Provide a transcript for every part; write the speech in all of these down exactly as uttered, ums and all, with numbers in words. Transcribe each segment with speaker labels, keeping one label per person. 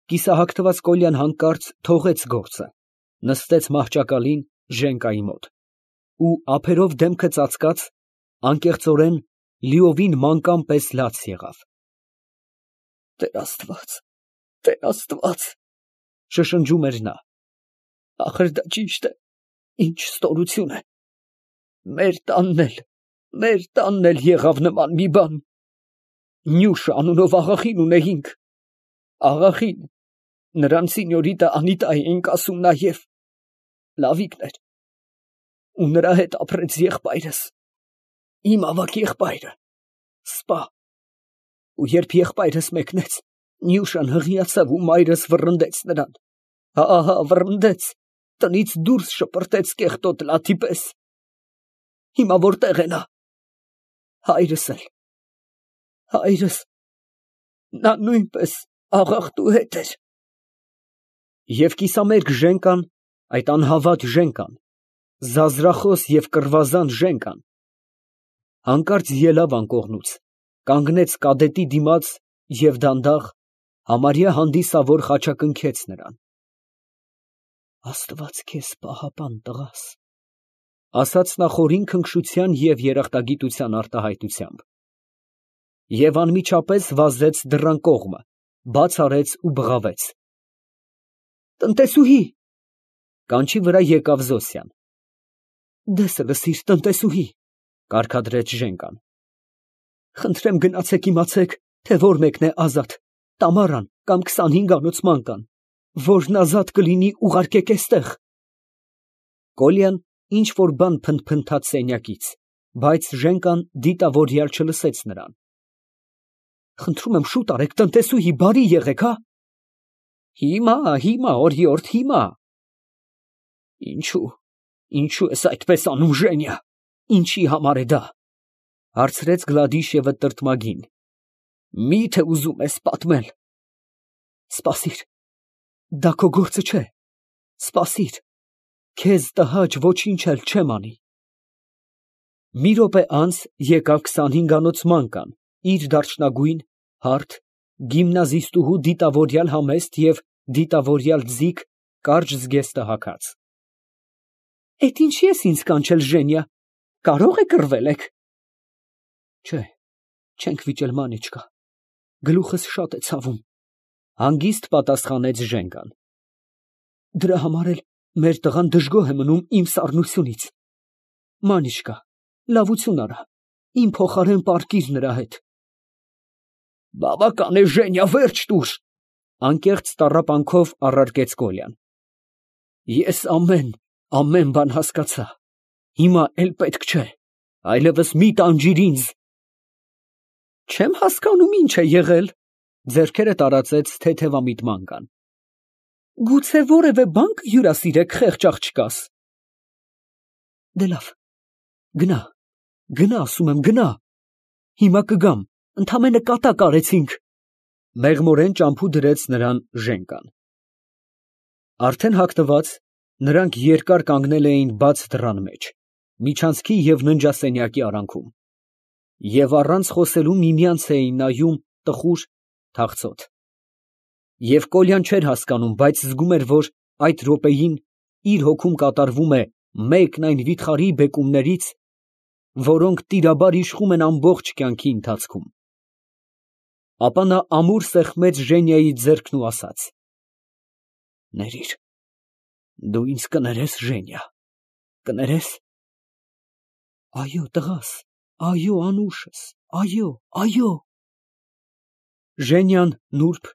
Speaker 1: Կիսահագթված Կոլյան հանկարծ թողեց գործը, նստեց մահճակալին Ժենկայի մոտ ու, ափերով դեմքը ծածկած, անկեղծորեն լիովին մանկան պես լաց եղավ։ «Տեր Աստված, Տեր Աստված», շշնջում էր նա, «ախր դա ճիշտ է, ինչ ստորություն է, մեր տանն էլ, մեր տանն էլ եղավ նման մի բան, Նյուշ անունով աղախին ունեինք, աղախին, նրան սինյորիտը Անիտա էինք ասում նաև, լավիկն էր, ու նրա հետ ապրեց եղբայրս, իմ ավագ եղբայրը, սպա, ու երբ եղբայրս մեկնեց, Նյուշան հղիացավ ու մայրս վռնդեց նրան, հա՛, վռնդեց, տնից դուրս շպրտեց կեղտոտ լաթի պես, հիմա որտե՞ղ է նա, հայրս էլ, հայրս, նա նույնպես աղախտու հետ էր»։ Եվ կիսամերկ Ժենկան, այդ անհավատ Ժենկան, զազրախոս և կռվազան Ժենկան, հանկարծ ելավ անկողնուց, կանգնեց կադետի դիմաց և դանդաղ, համարյա հանդիսավոր խաչակնքեց նրան։ «Աստված քեզ պահապան, տղաս», ասաց նա խորին քնքշության և երախտագիտության արտահայտությամբ, և անմիջապես վազեց դռան կողմը, բաց արեց ու բղավեց. «Տնտեսուհի»։ Կանչի վրա եկավ Զոսյան։ «Դես լսիր, տնտեսուհի», կարգադրեց Ժենկան, «խնդրեմ գնացեք իմացեք, թե որ մեկն է ազատ, Տամարան կամ քսանհինգանոց մանկան, որն ազատ կլինի ուղարկեք էստեղ»։ Կոլյան ինչ որ բան փնթփնթաց սենյակից, բայց Ժենկան դիտավորյալ չլսեց նրան։ «Խնդրում եմ, շուտ արեք, տնտեսուհի, բարի եղեք, հա»։ «Հիմա, հիմա, օրիորդ, հիմա»։ «Ինչո՞ւ, ինչո՞ւ ես այդպես անում, Ժենիա, ինչի համար է դա», հարցրեց Գլադիշևը տրտմագին։ «Մի՞թե ուզում ես պատմել»։ «Սպասիր, դա քո գործը չէ, սպասիր, քեզ տհաճ ոչինչ էլ չեմ անի»։ Մի րոպե անց եկավ քսանհինգանոց մանկան, իր դարչնագույն, հարթ, գիմնազիստուհու դիտավորյալ համեստ և դիտավորյալ ձիգ կարճ զգեստը հագած։ «Էդ ինչի ես ինձ կանչել, Ժենիա, կարո՞ղ է կռվել եք»։ «Չէ, չենք վիճել, Մանիչկա, գլուխս շատ է ցավում», հանգիստ պատասխանեց Ժենկան։ «Դրա համար էլ մեր տղան դժգոհ է մնում իմ սառնությունից։ Մանիչկա, լավություն արա, իմ փոխարեն պառկիր նրա հետ»։ «Բավական է, Ժենիա, վերջ տուր», անկեղծ տառապանքով առարկեց Կոլյան։ «Ես ամեն, ամեն բան հասկացա, հիմա էլ պետք չէ, այլևս մի տանջիր ինձ»։ «Չեմ հասկանում, ինչ է եղել», ձեռքերը տարածեց թեթևամիտ մանկան։ «Գուցե որևէ բան կհյուրասիրեք, խեղճ աղջկաս»։ «Դե լավ, գնա, գնա, ասում եմ, գնա, հիմա կգամ, ընդամենը կատակ արեցինք», մեղմորեն ճամփու դրեց նրան Ժենկան։ Արդեն հագնված, նրանք երկար կանգնել էին բաց դռան մեջ, միջանցքի և ննջասենյակի արանքում, և առանց խոսելու միմյանց էին նայում տխուր, թախծոտ։ Եվ Կոլյան չէր հասկանում, բայց զգում էր, որ այդ րոպեին իր հոգում կատարվում է մեկն այն վիթխարի բեկումներից, որոնք տիրաբար իշխում են ամբողջ կյանքի ընթացքում։ Ապա նա ամուր սեղմեց Ժենիայի ձեռքն ու ասաց. «Ներիր, դու ինձ կներես, Ժենիա, կներես»։ «Այո, տղաս, այո, անուշս, այո, այո»։ Ժենիան նուրբ,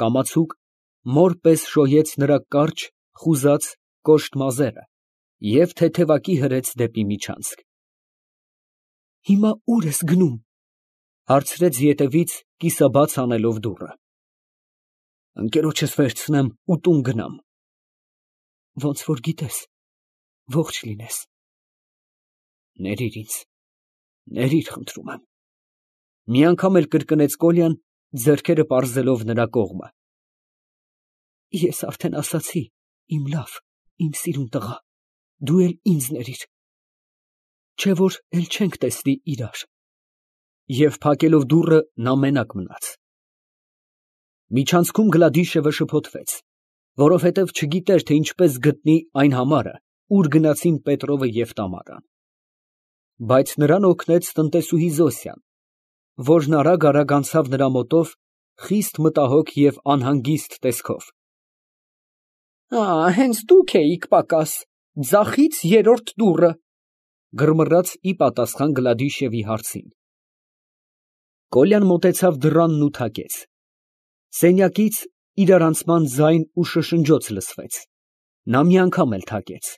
Speaker 1: կամացուկ, մոր պես շոյեց նրա կարճ, խուզած, կոշտ մազերը և թեթևակի հրեց դեպի միջանցք։ «Հիմա ո՞ւր ես գնում», հարցրեց ետևից, կիսաբաց անելով դուռը։ «Ընկերոջս վերցնեմ ու տուն գնամ»։ «Ոնց որ գիտես, ողջ լինես»։ «Ներիր ինձ, ներիր, խնդրում եմ»։ Մի անգամ էլ կրկնեց Կոլյան, ձեռքերը պարզելով նրա կողմը։ «Ես արդեն ասացի, իմ լավ, իմ սիրուն տղա, դու էլ ինձ ներիր, չէ՞ որ էլ չենք տեսնի իրար»։ Եվ փակելով դուռը, նա մենակ մնաց։ Միջանցքում Գլադիշևը շփոթվեց, որովհետև չգիտեր, թե ինչպես գտնի այն համարը, ուր գնացին Պետրովը և Տամարան։ Բայց նրան օգնեց տնտեսուհի Զոսյան, որն արագ֊արագ անցավ նրա մոտով, խիստ մտահոգ և անհանգիստ տեսքով։ ֊ Ա, հենց դուք էիք պակաս, ձախից երրորդ դուռը, ֊ գռմռաց ի պատասխան Գլադիշևի հարցին։ Կոլյան մոտեցավ դռանն ու թակեց։ Սենյակից իրարանցման ձայն ու շշնջոց լսվեց։ Նա մի անգամ էլ թակեց։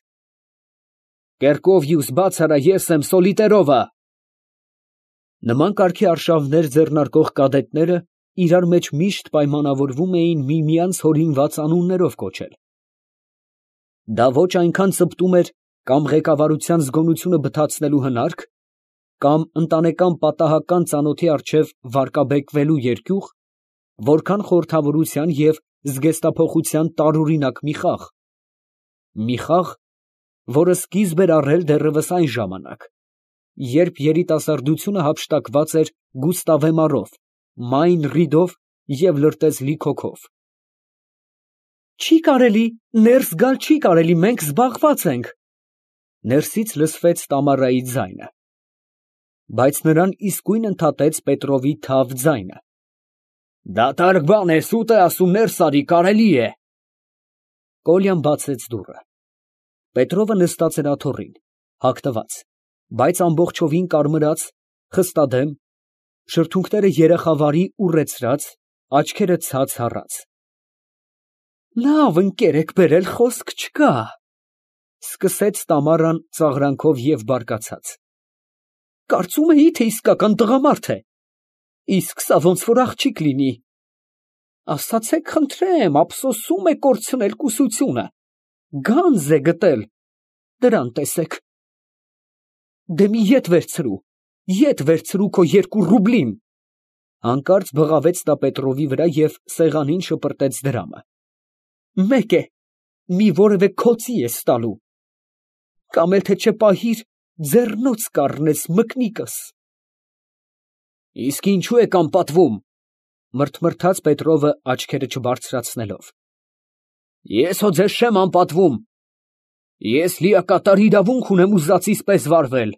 Speaker 1: Կերկովյուս, բաց արա, ես եմ, Սոլիտերովը։ Նման կարգի արշավներ ձեռնարկող կադետները իրար մեջ միշտ պայմանավորվում էին միմյանց հորինված անուններով կոչել։ Դա ոչ այնքան ծպտում էր կամ ղեկավարության զգոնությունը բթացնելու հնարք, կամ ընտանեկան պատահական ծանոթի առջև վարկաբեկվելու երկյուղ, որքան խորհրդավորության և զգեստափոխության տարօրինակ մի խաղ։ Մի խաղ, որը սկիզբ էր առել դեռևս այն ժամանակ, երբ երիտասարդությունը հափշտակված էր Գուստավեմարով, Մայն Ռիդով և լրտեսլի քոքով։ Չի կարելի, ներս գալ չի կարելի, մենք զբաղված ենք։ Ներսից լսվեց Տամարայի ձայնը։ Բայց նրան իսկույն ընդհատեց Պետրովի թավ ձայնը. Դատարկ բան է, սուտ է ասում, ներս արի, կարելի է։ Կոլյան բացեց դուռը։ Պետրովը նստած էր աթոռին, հագնված, բայց ամբողջովին կարմրած, խստադեմ, շրթունքները երեխավարի ուռեցրած, աչքերը ցած հառած։ Լավ ընկեր եք բերել, խոսք չկա, ֊ սկսեց Տամարան ծաղրանքով և բարկացած։ Կարծում էի, թե իսկական տղամարդ է, իսկ սա ոնց որ աղջիկ լինի։ Ասացեք խնդրեմ, ափսոսում է կորցնել կուսությունը, գանձ է գտել, դրան տեսեք։ Դե մի ետ վերցրու, ետ վերցրու քո երկու ռուբլին։ Հանկարծ բղավեց նա Պետրովի վրա և սեղանին շպրտեց դրամը։ Մեկ է, մի որևէ քոցի ես տալու, կամ էլ թե չէ պահիր, ձեռնոց կառնես մկնիկս։ Իսկ ինչու եք անպատվում, ֊ մրթմրթաց Պետրովը աչքերը չբարձրացնելով։ Ես հո ձեզ չեմ անպատվում, ես լիակատար իրավունք ունեմ ուզածիս պես վարվել,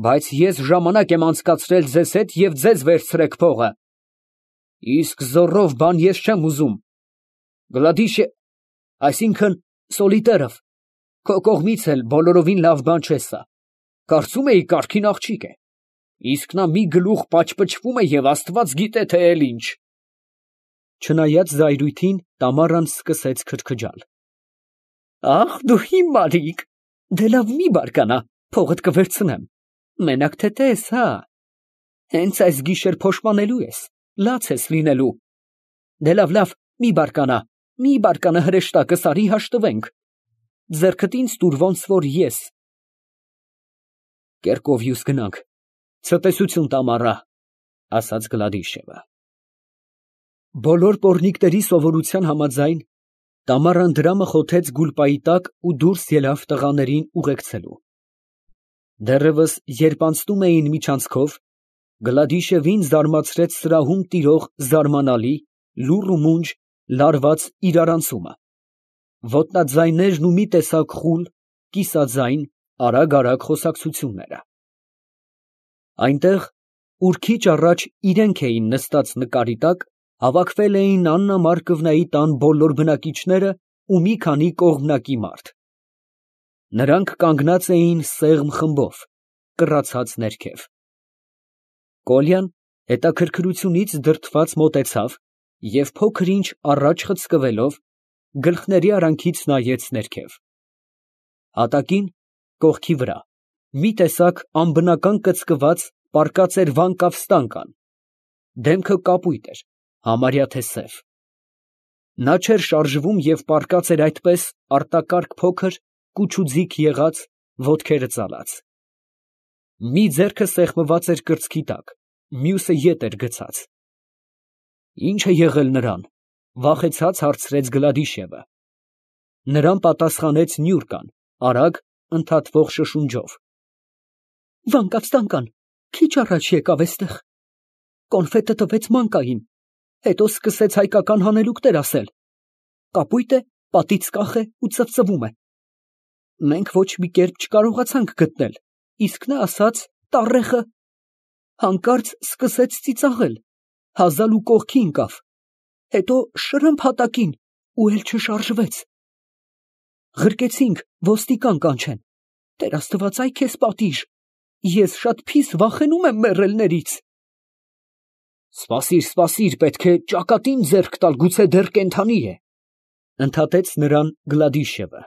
Speaker 1: բայց ես ժամանակ եմ անցկացրել ձեզ հետ և ձեզ վերցրեք փողը, իսկ զոռով բան ես չեմ ուզում։ Գլադիշե… այսինքն Սոլիտերով, քո կողմից էլ բոլորովին լավ բան չէ սա, կարծում էի կարգին աղջիկ է, իսկ նա մի գլուխ պաճպճվում է և աստված գիտե թե էլ ինչ։ Չնայած զայրույթին, Տամարան սկսեց քրքջալ։ Ախ, դու հիմարիկ, դե լավ մի բարկանա, փողդ կվերցնեմ, մենակ թե տես, հա, հենց այս գիշեր փոշմանելու ես, լաց ես լինելու։ Դե լավ, լավ, մի բարկանա, մի բարկանա հրեշտակս արի հաշտվենք, ձեռքդ ինձ տուր, ոնց որ ես։ Կերկովյուս գնանք, ցտեսություն Տամարա, ֊ ասաց Գլադիշևը։ Բոլոր պոռնիկների սովորության համաձայն, Տամարան դրամը խոթեց գուլպայի տակ ու դուրս ելավ տղաներին ուղեկցելու։ Դեռևս երբ անցնում էին միջանցքով, Գլադիշևին զարմացրեց սրահում տիրող զարմանալի, լուռ ու մունջ, լարված իրարանցումը, ոտնաձայներն ու մի տեսակ խուլ, կիսաձայն, արագ֊արագ խոսակցությունները։ Այնտեղ, ուր քիչ առաջ իրենք էին նստած նկարի տակ, հավաքվել էին Աննա Մարկովնայի տան բոլոր բնակիչները ու մի քանի կողմնակի մարդ։ Նրանք կանգնած էին սեղմ խմբով, կռացած ներքև։ Կոլյան հետաքրքրությունից դրդված մոտեցավ և փոքր ինչ առաջ խցկվելով, գլխների արանքից նայեց ներքև։ Հատակին, կողքի վրա, մի տեսակ անբնական կծկված պառկած էր վանկավ ստանկան, դեմքը կապույտ էր, համարյա թե սև։ Նա չէր շարժվում և պառկած էր այդպես արտակարգ փոքր, կուչուձիգ եղած, ոտքերը ծալած։ Մի ձեռքը սեղմված էր կրծքի տակ, մյուսը ետ էր գցած։ Ի՞նչ է եղել նրան, ֊ վախեցած հարցրեց Գլադիշևը։ Նրան պատասխանեց Նյուրկան, արագ, ընդհատվող շշունջով։ Վանկավ ստանկան, քիչ առաջ եկավ էստեղ, կոնֆետը տվեց Մանկային, հետո սկսեց հայկական հանելուկներ ասել. կապույտ է, պատից կախ է ու ծվծվում է։ Մենք ոչ մի կերպ չկարողացանք գտնել, իսկ նա ասաց տառեխը։ Հանկարծ սկսեց ծիծաղել, հազալ ու կողքի ընկավ, հետո շրըմփ հատակին ու էլ չշարժվեց։ Ղրկեցինք ոստիկան կանչեն, Տեր Աստված, այ քեզ պատիժ, ես շատ փիս վախենում եմ մեռելներից։ Սպասիր, սպասիր, պետք է ճակատին ձեռք տալ, գուցե դեռ կենդանի է, ընդհատեց նրան Գլադիշևը։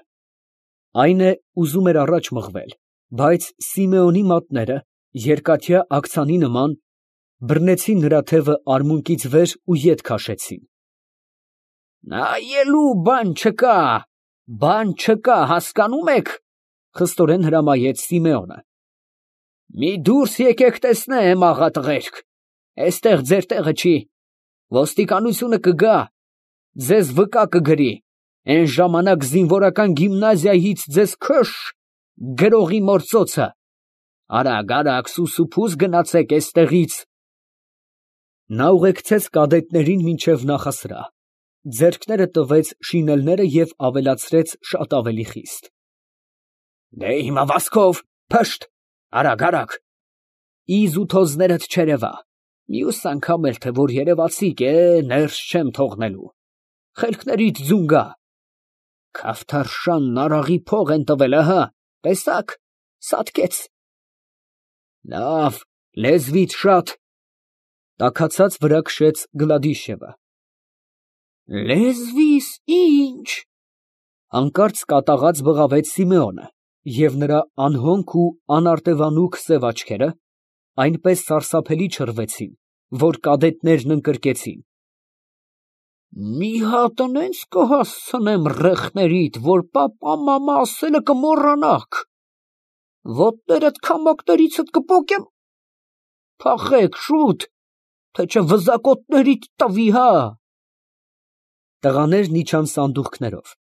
Speaker 1: Այն է, ուզում էր առաջ մղվել, բայց Սիմեոնի մատները, երկաթյա աքցանի նման, բռնեցին նրա թևը արմունկից վեր ու ետ քաշեցին։ Նայելու բան չկա, բան չկա, հասկանում եք, խստորեն հրամայեց Սիմեոնը։ Մի դուրս եկեք տեսնեմ, աղա տղերք, էստեղ ձեր տեղը չի, ոստիկանությունը կգա, ձեզ վկա կգրի, այն ժամանակ զինվորական գիմնազիայից ձեզ քշ, գրողի մործոցը, արագ, արագ, սուսուփուս գնացեք էստեղից։ Նա ուղեկցեց կադետներին մինչև նախասրահ, ձեռքները տվեց շինելները և ավելացրեց շատ ավելի խիստ։ Դե իմ ավազքով, փշտ, արագ, արագ, իզ ու թոզներդ չերևա, մյուս անգամ էլ թե որ երևացիկ է, ներս չեմ թողնելու, խելքներիդ ձուն գա, Քավթարշանն արաղի փող են տվել, ահա, տեսաք, սատկեց։ Լավ, լեզվիդ շատ, տաքացած վրա քշեց Գլադիշևը։ Լեզվիս ինչ, հանկարծ կատաղած բղավեց Սիմեոնը, և նրա անհոնք ու անարտևանուք սև աչքերը այնպես սարսափելի չռվեցին, որ կադետներն ընկրկեցին։ Մի հատ նենց կհասցնեմ ռեխներիդ, որ պապա֊մամա ասելը կմոռանաք, ոտներդ քամակներիցդ կպոկեմ, փախեք շուտ, թե չէ վզակոտներիդ տվի, հա։ Տղաներն իջան սանդուղքներով։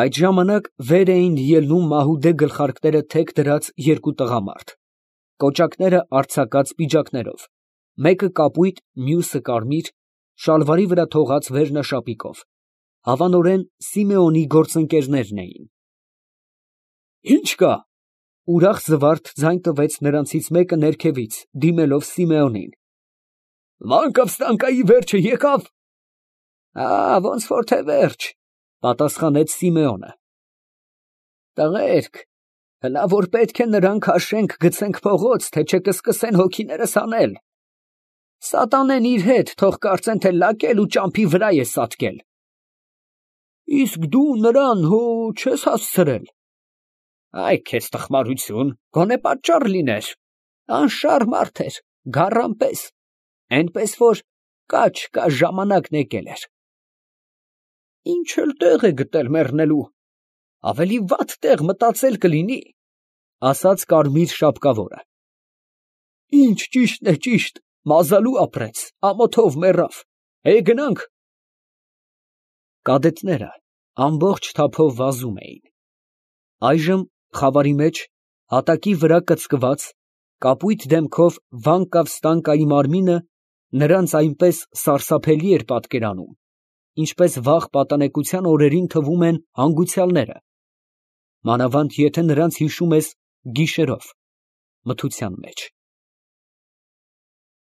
Speaker 1: Այդ ժամանակ վեր էին ելնում մահուդե գլխարկները թեք դրած երկու տղամարդ, կոճակները արձակած պիջակներով, մեկը կապույտ, մյուսը կարմիր, շալվարի վրա թողած վերնաշապիկով, հավանորեն Սիմեոնի գործընկերներն էին։ Ինչ կա, ուրախ զվարթ ձայն տվեց նրանցից մեկը ներքևից, դիմելով Սիմեոնին։ Մանկավստանկայի վերջը եկավ։ Ա, ոնց որ թե վերջ, պատասխանեց Սիմեոնը։ Տղերք, հլա որ պետք է նրան քաշենք, գցենք փողոց, թե չէ կսկսեն հոգիներս անել։ Սատանեն իր հետ, թող կարծեն, թե լակել ու ճամփի վրա է սատկել։ Իսկ դու նրան հո չես հասցրել։ Այ քեզ տխմարություն, գոնե պատճառ լիներ, անշար մարդ էր, գառան պես, այնպես որ կաչ-կա ժամանակն եկել էր։ Ինչ էլ տեղ է գտել մեռնելու, ավելի վատ տեղ մտածել կլինի, ասաց կարմիր շապկավորը։ Ինչ ճիշտն է ճիշտ, մազալու ապրեց, ամոթով մեռավ, է գնանք։ Կադետները ամբողջ թափով վազում էին։ Այժմ խավարի մեջ, հատակի վրա կծկված, կապույտ դեմքով Վանկավստանկայի մարմինը նրանց այնպես սարսափելի էր պատկերանում, ինչպես վաղ պատանեկության օրերին թվում են հանգուցյալները, մանավանդ եթե նրանց հիշում ես գիշերով, մթության մեջ։